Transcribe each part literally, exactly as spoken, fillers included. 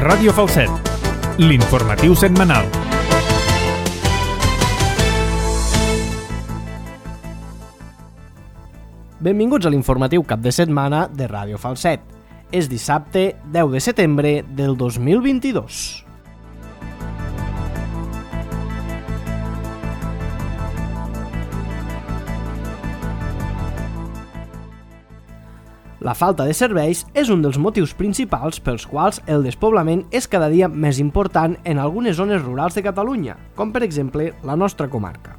Ràdio Falset, l'informatiu setmanal. Benvinguts a l'informatiu cap de setmana de Ràdio Falset. És dissabte deu de setembre del dos mil vint-i-dos. La falta de serveis és un dels motius principals pels quals el despoblament és cada dia més important en algunes zones rurals de Catalunya, com per exemple la nostra comarca.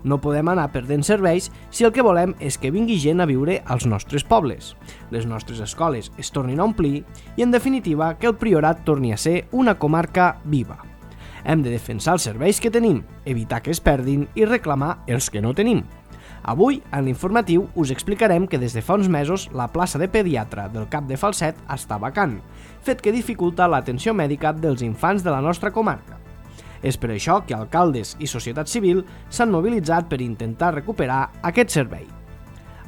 No podem anar perdent serveis si el que volem és que vingui gent a viure als nostres pobles, les nostres escoles es tornin a omplir i, en definitiva, que el Priorat torni a ser una comarca viva. Hem de defensar els serveis que tenim, evitar que es perdin i reclamar els que no tenim. Avui, en l'informatiu, us explicarem que des de fa uns mesos la plaça de pediatre del Cap de Falset està vacant, fet que dificulta l'atenció mèdica dels infants de la nostra comarca. És per això que alcaldes i societat civil s'han mobilitzat per intentar recuperar aquest servei.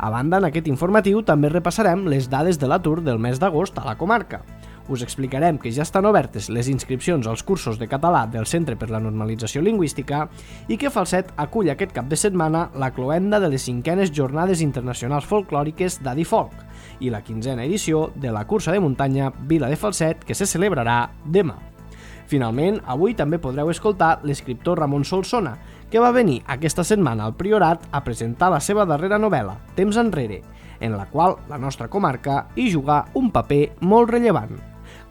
A banda, en aquest informatiu també repassarem les dades de l'atur del mes d'agost a la comarca. Us explicarem que ja estan obertes les inscripcions als cursos de català del Centre per la Normalització Lingüística i que Falset acull aquest cap de setmana la cloenda de les cinquenes Jornades Internacionals Folclòriques d'Adifolc i la quinzena edició de la cursa de muntanya Vila de Falset, que se celebrarà demà. Finalment, avui també podreu escoltar l'escriptor Ramon Solsona, que va venir aquesta setmana al Priorat a presentar la seva darrera novel·la, Temps enrere, en la qual la nostra comarca hi juga un paper molt rellevant.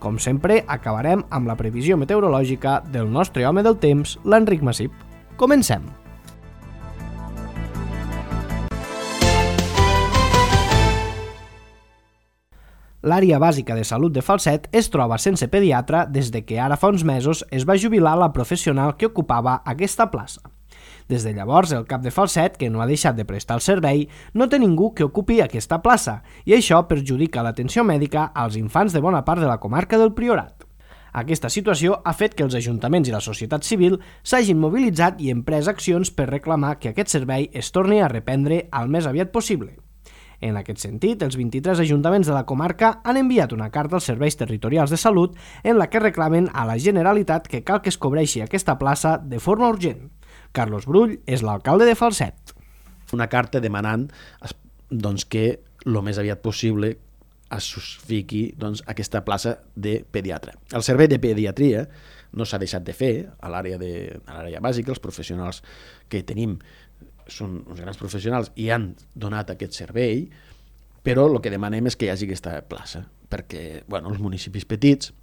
Com sempre, acabarem amb la previsió meteorològica del nostre home del temps, l'Enric Massip. Comencem! L'àrea bàsica de salut de Falset es troba sense pediatre des de que ara fa uns mesos es va jubilar la professional que ocupava aquesta plaça. Des de llavors, el cap de Falset, que no ha deixat de prestar el servei, no té ningú que ocupi aquesta plaça i això perjudica l'atenció mèdica als infants de bona part de la comarca del Priorat. Aquesta situació ha fet que els ajuntaments i la societat civil s'hagin mobilitzat i emprès accions per reclamar que aquest servei es torni a reprendre al més aviat possible. En aquest sentit, els vint-i-tres ajuntaments de la comarca han enviat una carta als serveis territorials de salut en la que reclamen a la Generalitat que cal que es cobreixi aquesta plaça de forma urgent. Carlos Brull és l'alcalde de Falset. Una carta demanant doncs, que el més aviat possible es fiqui doncs, aquesta plaça de pediatre. El servei de pediatria no s'ha deixat de fer a l'àrea de, a l'àrea bàsica, els professionals que tenim són uns grans professionals i han donat aquest servei, però el que demanem és que hi hagi aquesta plaça, perquè bueno, els municipis petits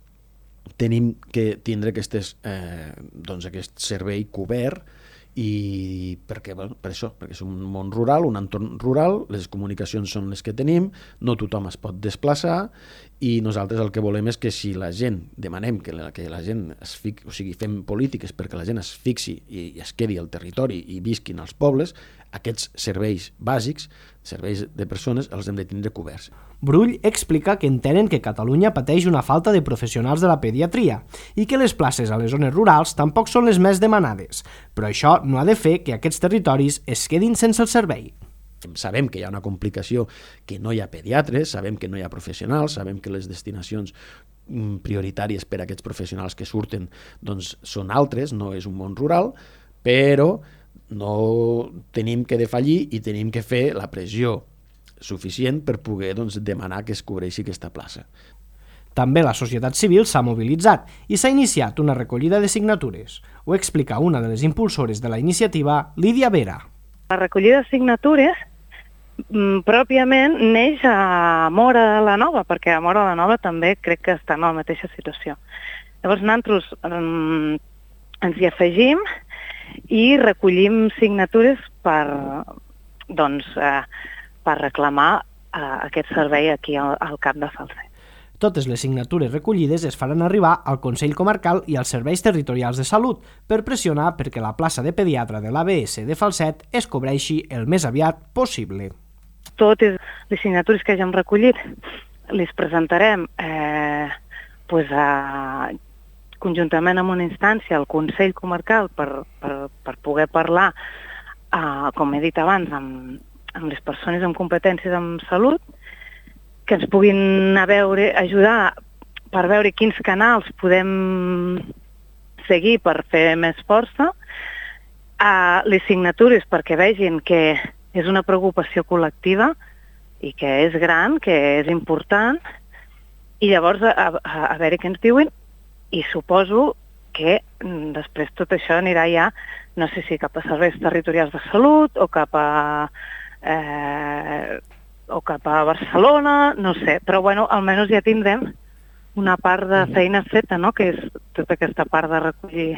tenim que tindre aquestes, eh, doncs aquest servei cobert i perquè, bueno, per això, perquè és un món rural, un entorn rural, les comunicacions són les que tenim, no tothom es pot desplaçar i nosaltres el que volem és que si la gent, demanem que la, que la gent es fixi, o sigui, fem polítiques perquè la gent es fixi i, i es quedi al territori i visquin als pobles, aquests serveis bàsics, serveis de persones, els hem de tindre coberts. Brull explica que entenen que Catalunya pateix una falta de professionals de la pediatria i que les places a les zones rurals tampoc són les més demanades, però això no ha de fer que aquests territoris es quedin sense el servei. Sabem que hi ha una complicació, que no hi ha pediatres, sabem que no hi ha professionals, sabem que les destinacions prioritàries per a aquests professionals que surten doncs, són altres, no és un món rural, però no tenim que defallir i tenim que fer la pressió suficient per poder doncs, demanar que es cobreixi aquesta plaça. També la societat civil s'ha mobilitzat i s'ha iniciat una recollida de signatures. Ho explica una de les impulsores de la iniciativa, Lídia Vera. La recollida de signatures mm, pròpiament neix a Móra de la Nova, perquè a Móra de la Nova també crec que està en la mateixa situació. Llavors nosaltres mm, ens hi afegim i recollim signatures per, doncs, eh, per reclamar eh, aquest servei aquí al, al Cap de Falset. Totes les signatures recollides es faran arribar al Consell Comarcal i als serveis territorials de salut per pressionar perquè la plaça de pediatre de l'A B S de Falset es cobreixi el més aviat possible. Totes les signatures que hagin recollit les presentarem eh, pues a, conjuntament amb una instància al Consell Comarcal per, per, per poder parlar, eh, com he dit abans, amb, amb les persones amb competències en salut, que ens puguin a veure, ajudar per veure quins canals podem seguir per fer més força, a les signatures perquè vegin que és una preocupació col·lectiva i que és gran, que és important, i llavors a, a, a veure què ens diuen, i suposo que després tot això anirà ja, no sé si cap a serveis territorials de salut o cap a, eh, o cap a Barcelona, no sé, però bueno, almenys ja tindrem una part de feina feta, no?, que és tota aquesta part de recollir.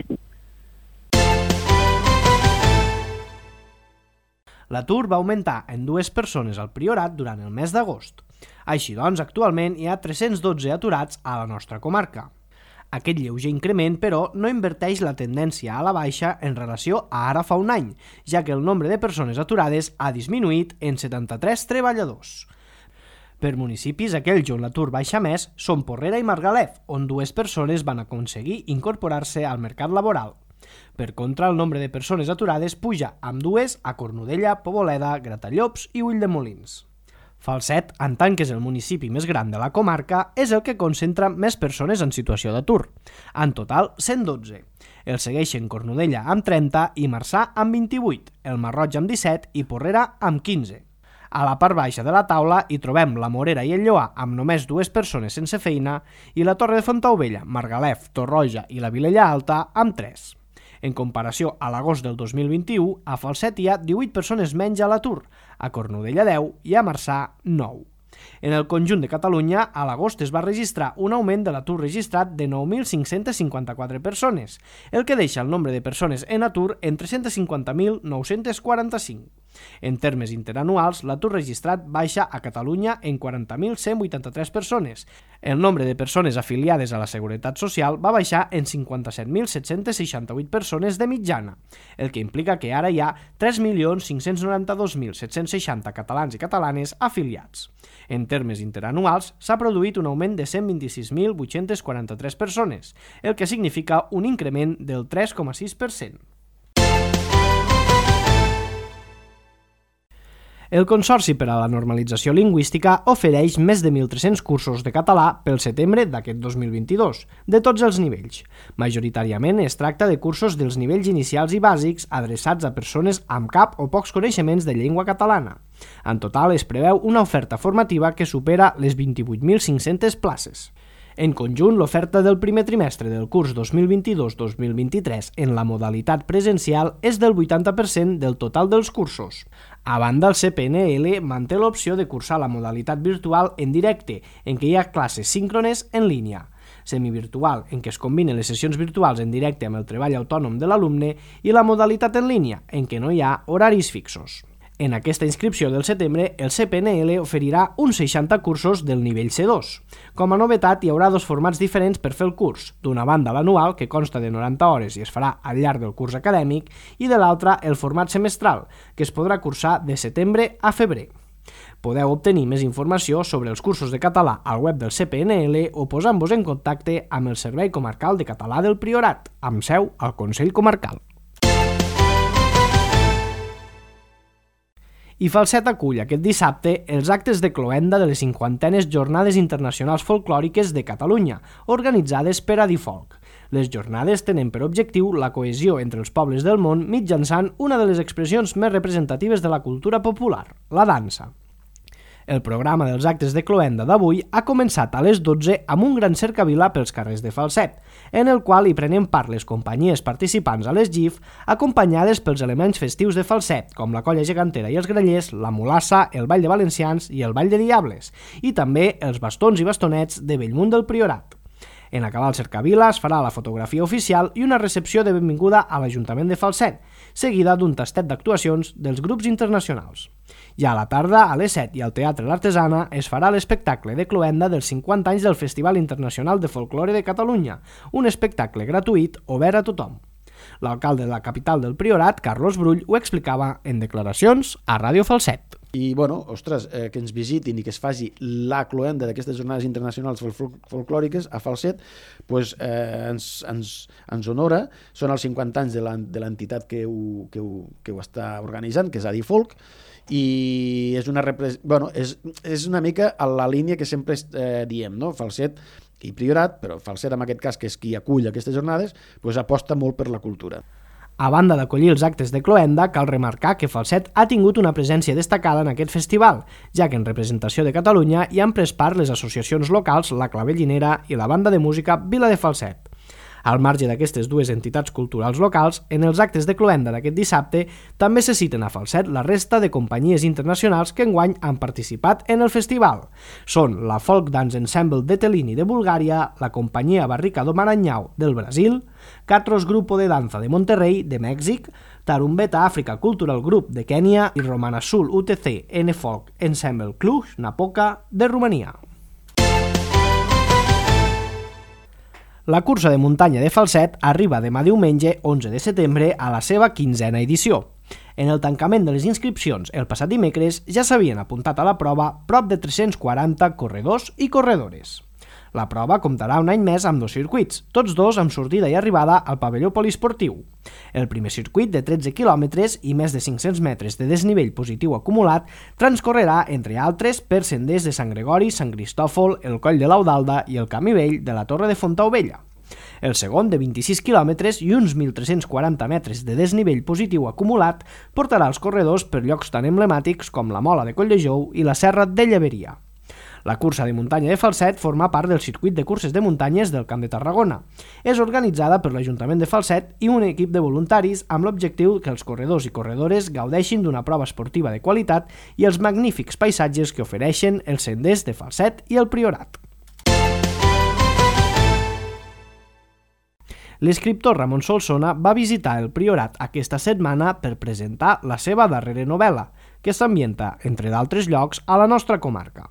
L'atur va augmentar en dues persones al Priorat durant el mes d'agost. Així doncs, actualment hi ha tres-cents dotze aturats a la nostra comarca. Aquest lleuger increment, però, no inverteix la tendència a la baixa en relació a ara fa un any, ja que el nombre de persones aturades ha disminuït en setanta-tres treballadors. Per municipis, aquells on l'atur baixa més són Porrera i Margalef, on dues persones van aconseguir incorporar-se al mercat laboral. Per contra, el nombre de persones aturades puja amb dues a Cornudella, Poboleda, Gratallops i Ulldemolins. Falset, en tant que és el municipi més gran de la comarca, és el que concentra més persones en situació d'atur. En total, cent dotze. El segueixen Cornudella amb trenta i Marçà amb vint-i-vuit, el Marroig amb disset i Porrera amb quinze. A la part baixa de la taula hi trobem la Morera i el Lloar amb només dues persones sense feina i la Torre de Fontaubella, Margalef, Torroja i la Vilella Alta amb tres. En comparació a l'agost del dos mil vint-i-u, a Falset hi ha divuit persones menys a l'atur, a Cornudella deu i a Marçà nou. En el conjunt de Catalunya, a l'agost es va registrar un augment de l'atur registrat de nou mil cinc-cents cinquanta-quatre persones, el que deixa el nombre de persones en atur en tres-cents cinquanta mil nou-cents quaranta-cinc. En termes interanuals, l'atur registrat baixa a Catalunya en quaranta mil cent vuitanta-tres persones. El nombre de persones afiliades a la Seguretat Social va baixar en cinquanta-set mil set-cents seixanta-vuit persones de mitjana, el que implica que ara hi ha tres milions cinc-cents noranta-dos mil set-cents seixanta catalans i catalanes afiliats. En termes interanuals, s'ha produït un augment de cent vint-i-sis mil vuit-cents quaranta-tres persones, el que significa un increment del tres coma sis per cent. El Consorci per a la Normalització Lingüística ofereix més de mil tres-cents cursos de català pel setembre d'aquest dos mil vint-i-dos, de tots els nivells. Majoritàriament es tracta de cursos dels nivells inicials i bàsics adreçats a persones amb cap o pocs coneixements de llengua catalana. En total es preveu una oferta formativa que supera les vint-i-vuit mil cinc-centes places. En conjunt, l'oferta del primer trimestre del curs dos mil vint-i-dos dos mil vint-i-tres en la modalitat presencial és del vuitanta per cent del total dels cursos. A banda, el C P N L manté l'opció de cursar la modalitat virtual en directe, en què hi ha classes síncrones en línia, semivirtual, en què es combinen les sessions virtuals en directe amb el treball autònom de l'alumne, i la modalitat en línia, en què no hi ha horaris fixos. En aquesta inscripció del setembre, el C P N L oferirà uns seixanta cursos del nivell C dos. Com a novetat, hi haurà dos formats diferents per fer el curs. D'una banda, l'anual, que consta de noranta hores i es farà al llarg del curs acadèmic, i de l'altra, el format semestral, que es podrà cursar de setembre a febrer. Podeu obtenir més informació sobre els cursos de català al web del C P N L o posant-vos en contacte amb el Servei Comarcal de Català del Priorat, amb seu al Consell Comarcal. I Falset acull aquest dissabte els actes de cloenda de les cinquantenes Jornades Internacionals Folclòriques de Catalunya, organitzades per Adifolk. Les jornades tenen per objectiu la cohesió entre els pobles del món mitjançant una de les expressions més representatives de la cultura popular, la dansa. El programa dels actes de cloenda d'avui ha començat a les dotze amb un gran cercavila pels carrers de Falset, en el qual hi prenen part les companyies participants a les G I F, acompanyades pels elements festius de Falset, com la colla gegantera i els grallers, la mulassa, el ball de valencians i el ball de diables, i també els bastons i bastonets de Bellmunt del Priorat. En acabar el cercavila es farà la fotografia oficial i una recepció de benvinguda a l'Ajuntament de Falset, seguida d'un tastet d'actuacions dels grups internacionals. Ja a la tarda, a les set i al Teatre L'Artesana, es farà l'espectacle de cloenda dels cinquanta anys del Festival Internacional de Folklore de Catalunya, un espectacle gratuït obert a tothom. L'alcalde de la capital del Priorat, Carlos Brull, ho explicava en declaracions a Ràdio Falset. I, bueno, ostres, eh, que ens visitin i que es faci la cloenda d'aquestes jornades internacionals fol folclòriques a Falset, pues, eh, ens, ens, ens honora. Són els cinquanta anys de l'entitat que, ho, que, ho, que ho està organitzant, que és Adifolk, i és una, repres... bueno, és, és una mica a la línia que sempre eh, diem, no? Falset i Priorat, però Falset en aquest cas, que és qui acull aquestes jornades, doncs aposta molt per la cultura. A banda d'acollir els actes de cloenda, cal remarcar que Falset ha tingut una presència destacada en aquest festival, ja que en representació de Catalunya hi han pres part les associacions locals La Clavellinera i la banda de música Vila de Falset. Al marge d'aquestes dues entitats culturals locals, en els actes de cloenda d'aquest dissabte també se citen a Falset la resta de companyies internacionals que enguany han participat en el festival. Són la Folk Dance Ensemble de Tellini de Bulgària, la companyia Barrica do Maranhão del Brasil, Catros Grupo de Danza de Monterrey de Mèxic, Tarumbeta Africa Cultural Group de Kènia i Romana Sul U T C N Folk Ensemble Cluj-Napoca de Romania. La cursa de muntanya de Falset arriba demà diumenge onze de setembre a la seva quinzena edició. En el tancament de les inscripcions el passat dimecres ja s'havien apuntat a la prova prop de tres-cents quaranta corredors i corredores. La prova comptarà un any més amb dos circuits, tots dos amb sortida i arribada al pavelló poliesportiu. El primer circuit, de tretze quilòmetres i més de cinc-cents metres de desnivell positiu acumulat, transcorrerà, entre altres, per senders de Sant Gregori, Sant Cristòfol, el Coll de l'Audalda i el Camí Vell de la Torre de Fontaubella. El segon, de vint-i-sis quilòmetres i uns mil tres-cents quaranta metres de desnivell positiu acumulat, portarà els corredors per llocs tan emblemàtics com la Mola de Colldejou i la Serra de Lleveria. La cursa de muntanya de Falset forma part del circuit de curses de muntanyes del Camp de Tarragona. És organitzada per l'Ajuntament de Falset i un equip de voluntaris amb l'objectiu que els corredors i corredores gaudeixin d'una prova esportiva de qualitat i els magnífics paisatges que ofereixen els senders de Falset i el Priorat. L'escriptor Ramon Solsona va visitar el Priorat aquesta setmana per presentar la seva darrera novel·la, que s'ambienta, entre d'altres llocs, a la nostra comarca.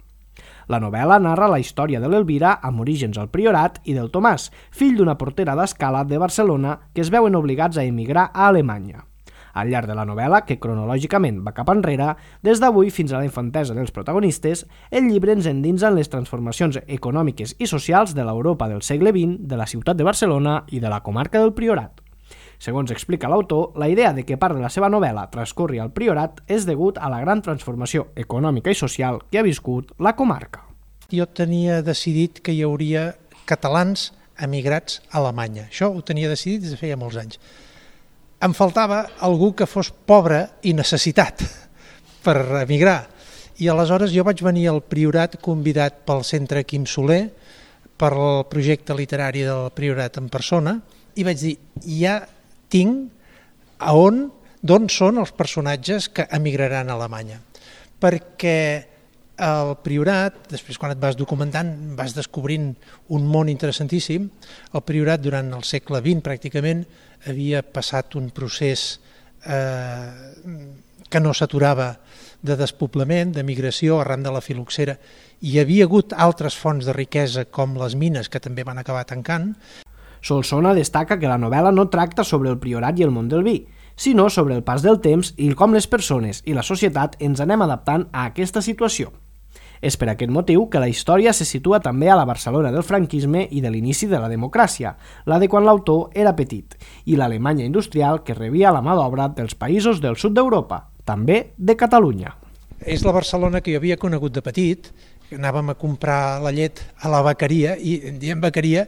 La novel·la narra la història de l'Elvira, amb orígens al Priorat, i del Tomàs, fill d'una portera d'escala de Barcelona que es veuen obligats a emigrar a Alemanya. Al llarg de la novel·la, que cronològicament va cap enrere, des d'avui fins a la infantesa dels protagonistes, el llibre ens endinsa en les transformacions econòmiques i socials de l'Europa del segle vint, de la ciutat de Barcelona i de la comarca del Priorat. Segons explica l'autor, la idea de que part de la seva novel·la transcorri al Priorat és degut a la gran transformació econòmica i social que ha viscut la comarca. Jo tenia decidit que hi hauria catalans emigrats a Alemanya. Això ho tenia decidit des de feia molts anys. Em faltava algú que fos pobre i necessitat per emigrar. I aleshores jo vaig venir al Priorat convidat pel Centre Quim Soler, per el projecte literari del Priorat en persona, i vaig dir, ja tinc a on, d'on són els personatges que emigraran a Alemanya. Perquè el Priorat, després quan et vas documentant, vas descobrint un món interessantíssim. El Priorat durant el segle vint pràcticament havia passat un procés eh, que no s'aturava de despoblament, de migració arran de la filoxera. Hi havia hagut altres fonts de riquesa com les mines que també van acabar tancant. Solsona destaca que la novel·la no tracta sobre el Priorat i el món del vi, sinó sobre el pas del temps i com les persones i la societat ens anem adaptant a aquesta situació. És per aquest motiu que la història se situa també a la Barcelona del franquisme i de l'inici de la democràcia, la de quan l'autor era petit, i l'Alemanya industrial que rebia la mà d'obra dels països del sud d'Europa, també de Catalunya. És la Barcelona que jo havia conegut de petit, que anàvem a comprar la llet a la vaqueria, i en diem vaqueria,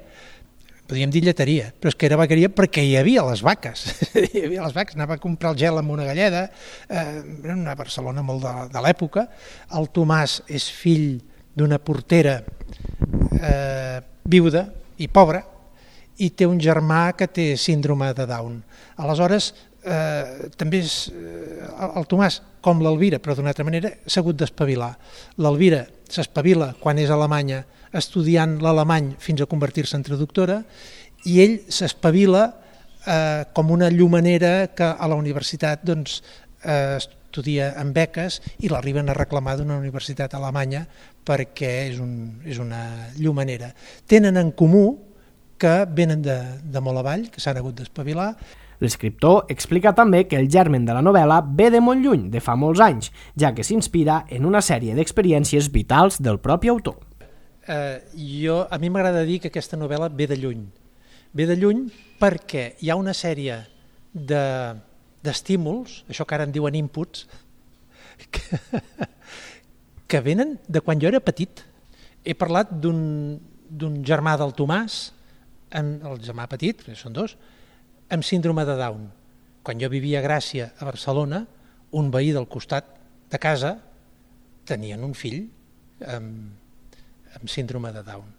podríem dir lleteria, però és que era vaqueria perquè hi havia les vaques. Hi havia les vaques, anava a comprar el gel amb una galleda, eh, era una Barcelona molt de, de l'època. El Tomàs és fill d'una portera eh, viuda i pobra i té un germà que té síndrome de Down. Aleshores, eh, també és, eh, el Tomàs, com l'Elvira, però d'una altra manera, s'ha hagut d'espavilar. L'Elvira s'espavila quan és a Alemanya estudiant l'alemany fins a convertir-se en traductora, i ell s'espavila eh, com una llumanera que a la universitat doncs, eh, estudia amb beques i l'arriben a reclamar d'una universitat alemanya perquè és, un, és una llumanera. Tenen en comú que venen de, de molt avall, que s'han hagut d'espavilar. L'escriptor explica també que el germen de la novel·la ve de molt lluny, de fa molts anys, ja que s'inspira en una sèrie d'experiències vitals del propi autor. Eh, jo, a mi m'agrada dir que aquesta novel·la ve de lluny. Ve de lluny perquè hi ha una sèrie de, d'estímuls, això que ara en diuen inputs, que, que venen de quan jo era petit. He parlat d'un d'un germà del Tomàs, amb, el germà petit, perquè són dos, amb síndrome de Down. Quan jo vivia a Gràcia, a Barcelona, un veí del costat de casa tenien un fill amb, amb síndrome de Down.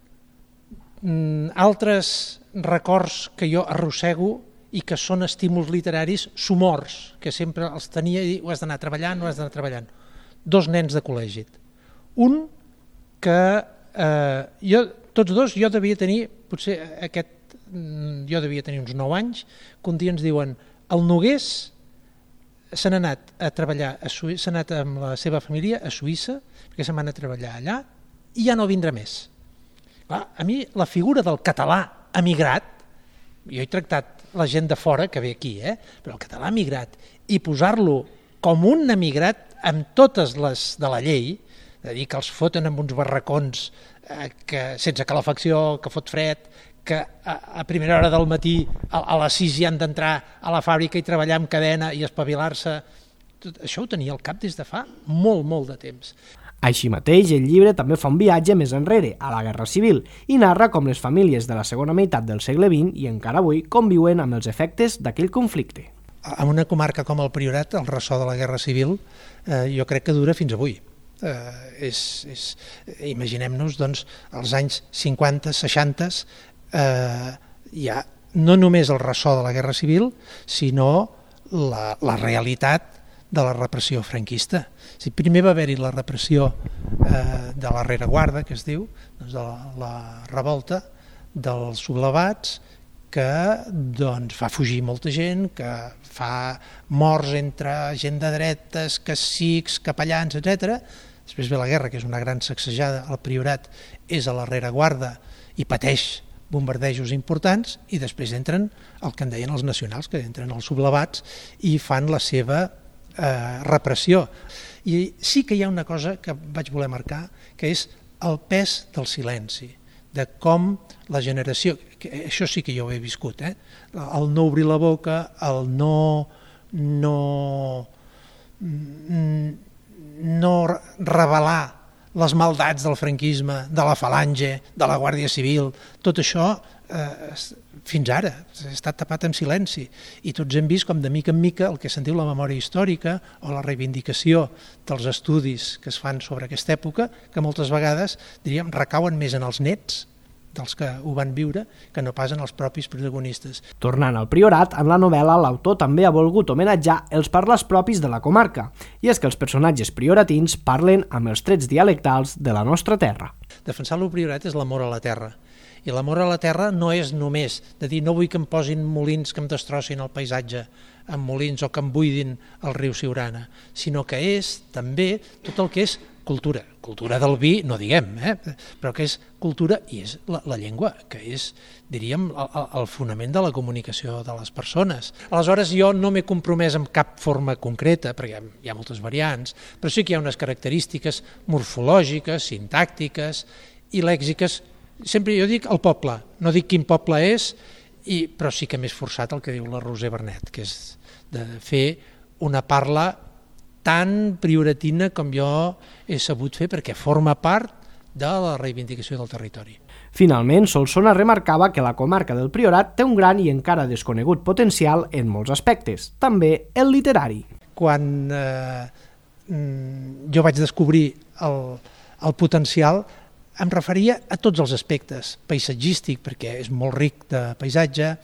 Mm, altres records que jo arrossego i que són estímuls literaris somors, que sempre els tenia i ho has d'anar treballant, ho has d'anar treballant. Dos nens de col·legi. Un que eh, jo, tots dos, jo devia tenir, potser aquest, jo devia tenir uns nou anys, que un dia ens diuen, el Nogués s'ha anat a treballar, a Suïssa, s'ha anat amb la seva família a Suïssa, perquè se'n van a treballar allà, i ja no vindrà més. Clar, a mi la figura del català emigrat, jo he tractat la gent de fora que ve aquí, eh? Però el català emigrat, i posar-lo com un emigrat amb totes les de la llei, de dir que els foten amb uns barracons eh, que, sense calefacció, que fot fred, que a, a primera hora del matí a, a les sis ja han d'entrar a la fàbrica i treballar amb cadena i espavilar-se. Tot això ho tenia al cap des de fa molt, molt de temps. Així mateix, el llibre també fa un viatge més enrere, a la Guerra Civil, i narra com les famílies de la segona meitat del segle vint i encara avui conviuen amb els efectes d'aquell conflicte. En una comarca com el Priorat, el ressò de la Guerra Civil, eh, jo crec que dura fins avui. Eh, és, és, imaginem-nos, doncs, els anys cinquanta, seixanta, eh, hi ha no només el ressò de la Guerra Civil, sinó la, la realitat de la repressió franquista. Si primer va haver-hi la repressió eh, de la rereguarda, que es diu, doncs de la, la revolta dels sublevats, que doncs, fa fugir molta gent, que fa morts entre gent de dretes, cacics, capellans, etcètera. Després ve la guerra, que és una gran sacsejada, el Priorat és a la rereguarda i pateix bombardejos importants, i després entren el que en deien els nacionals, que entren els sublevats i fan la seva eh, repressió. I sí que hi ha una cosa que vaig voler marcar, que és el pes del silenci, de com la generació, que això sí que jo ho he viscut, eh? El no obrir la boca, el no, no, no revelar les maldats del franquisme, de la falange, de la Guàrdia Civil, tot això eh, fins ara ha estat tapat en silenci, i tots hem vist com de mica en mica el que se'n diu la memòria històrica o la reivindicació dels estudis que es fan sobre aquesta època, que moltes vegades, diríem, recauen més en els nets dels que ho van viure que no pas en els propis protagonistes. Tornant al Priorat, en la novel·la l'autor també ha volgut homenatjar els parlars propis de la comarca, i és que els personatges prioratins parlen amb els trets dialectals de la nostra terra. Defensar el Priorat és l'amor a la terra, i l'amor a la terra no és només de dir no vull que em posin molins que em destrossin el paisatge amb molins o que em buidin el riu Siurana, sinó que és també tot el que és cultura, cultura del vi, no diguem, eh? Però que és cultura i és la, la llengua, que és, diríem, el, el fonament de la comunicació de les persones. Aleshores, jo no m'he compromès amb cap forma concreta, perquè hi ha moltes variants, però sí que hi ha unes característiques morfològiques, sintàctiques i lèxiques. Sempre jo dic el poble, no dic quin poble és, i, però sí que m'he esforçat el que diu la Roser Bernet, que és de fer una parla tan prioratina com jo he sabut fer, perquè forma part de la reivindicació del territori. Finalment, Solsona remarcava que la comarca del Priorat té un gran i encara desconegut potencial en molts aspectes, també el literari. Quan eh, jo vaig descobrir el, el potencial, em referia a tots els aspectes, paisatgístic, perquè és molt ric de paisatge,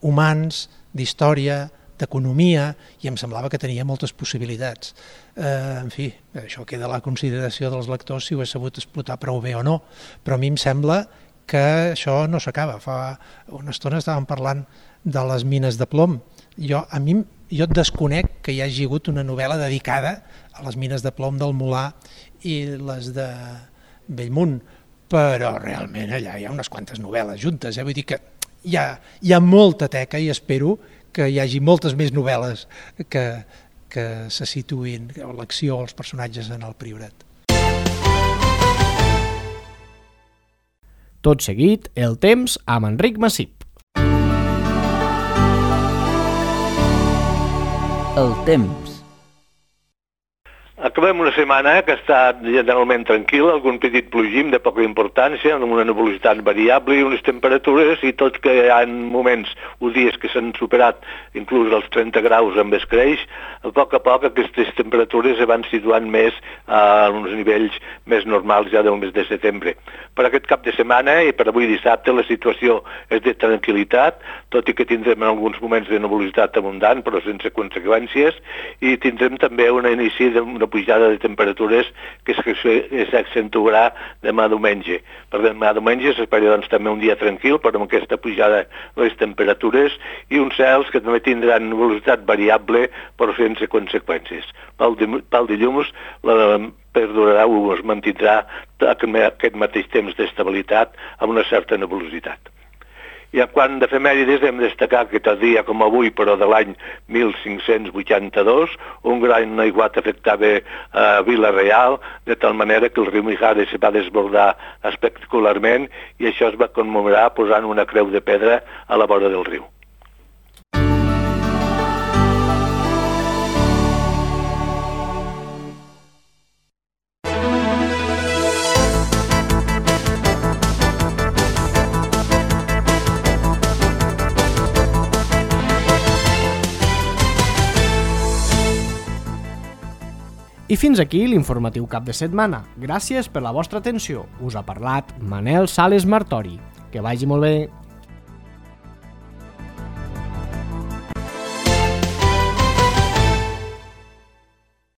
humans, d'història, d'economia, i em semblava que tenia moltes possibilitats. Eh, en fi, això queda a la consideració dels lectors si ho he sabut explotar prou bé o no, però a mi em sembla que això no s'acaba. Fa una estona estàvem parlant de les mines de plom. Jo, a mi, jo desconec que hi hagi hagut una novel·la dedicada a les mines de plom del Molar i les de Bellmunt, però realment allà hi ha unes quantes novel·les juntes, eh? Vull dir que hi ha, hi ha molta teca, i espero que hi hagi moltes més novel·les que, que se situïn, l'acció o els personatges en el Priorat. Tot seguit, el temps amb Enric Massip. El temps. Acabem una setmana que ha estat generalment tranquil·la, algun petit plogim de poca importància, amb una nebulositat variable i unes temperatures, i tot que hi ha moments o dies que s'han superat inclús els trenta graus amb escreix, a poc a poc aquestes temperatures es van situant més a uns nivells més normals ja del mes de setembre. Per aquest cap de setmana i per avui dissabte la situació és de tranquil·litat, tot i que tindrem en alguns moments de nebulositat abundant però sense conseqüències, i tindrem també un inici d'una pujada de temperatures que s'accentuarà demà diumenge. Per demà diumenge s'espera doncs, també un dia tranquil, però amb aquesta pujada de les temperatures i uns cels que també tindran velocitat variable però sense conseqüències. Pel, pel dilluns la perdurarà o es mantindrà aquest mateix temps d'estabilitat amb una certa nebulositat. I quan d'efemèrides hem de destacar que tal dia com avui, però de l'any mil cinc-cents vuitanta-dos, un gran aiguat afectava a Vila-real, de tal manera que el riu Mijares se va desbordar espectacularment i això es va commemorar posant una creu de pedra a la vora del riu. I fins aquí l'informatiu cap de setmana. Gràcies per la vostra atenció. Us ha parlat Manel Sales Martori. Que vagi molt bé.